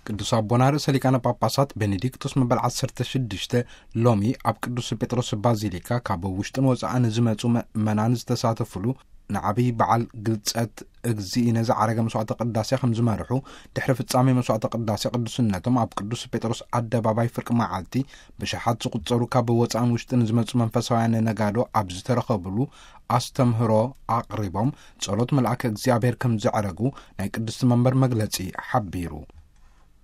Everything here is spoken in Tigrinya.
ቅዱስ ኣቦና ርእሰ ሊቃነ ጳጳሳት ቤኔዲክቶስ መበል ዓሰርተ ሽዱሽተ ሎሚ ኣብ ቅዱስ ጴጥሮስ ባዚሊካ ካብ ውሽጥን ወፃእን ዝመፁ ምእመናን ዝተሳተፉሉ ንዓብዪ በዓል ግልጸት እግዚእነ ዝዓረገ መስዋዕተ ቅዳሴ ከም ዝመርሑ፣ ድሕሪ ፍጻሜ መስዋዕተ ቅዳሴ ቅዱስነቶም ኣብ ቅዱስ ጴጥሮስ ኣደባባይ ፍርቂ መዓልቲ ብሽሓት ዝቑጸሩ ካብ ወጻእን ውሽጥን ዝመጹ መንፈሳውያን ነጋዶ ኣብ ዝተረኸብሉ ኣስተምህሮ ኣቕሪቦም፣ ጸሎት መልኣከ እግዚኣብሔር ከም ዘዕረጉ ናይ ቅድስቲ መንበር መግለጺ ሓቢሩ።